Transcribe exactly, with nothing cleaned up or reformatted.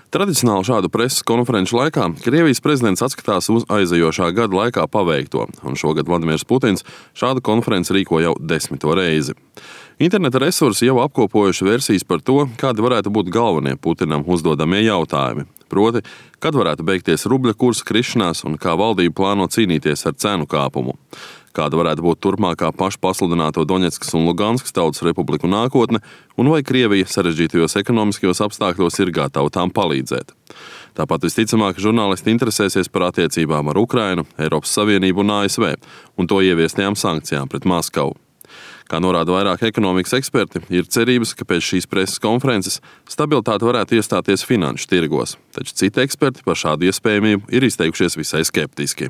Tradicionāli šādu preses konferenču laikā Krievijas prezidents atskatās uz aizejošā gada laikā paveikto, un šogad Vladimirs Putins šādu konferenci rīko jau desmito reizi. Interneta resursi jau apkopojuši versijas par to, kādi varētu būt galvenie Putinam uzdodamie jautājumi. Proti, kad varētu beigties rubļa kursa krišanās un kā valdība plāno cīnīties ar cenu kāpumu. Kāda varētu būt turpmākā pašpasludināto Doņetskas un Luganskas tautas republiku nākotne, un vai Krievija sarežģītajos ekonomiskajos apstākļos ir gatava tām palīdzēt. Tāpat visticamāk, žurnālisti interesēsies par attiecībām ar Ukrainu, Eiropas Savienību un A S V un to ieviestajām sankcijām pret Maskavu. Kā norāda vairāk ekonomikas eksperti, ir cerības, ka pēc šīs preses konferences stabilitāte varētu iestāties finanšu tirgos, taču citi eksperti par šādu iespējamību ir izteikušies visai skeptiski.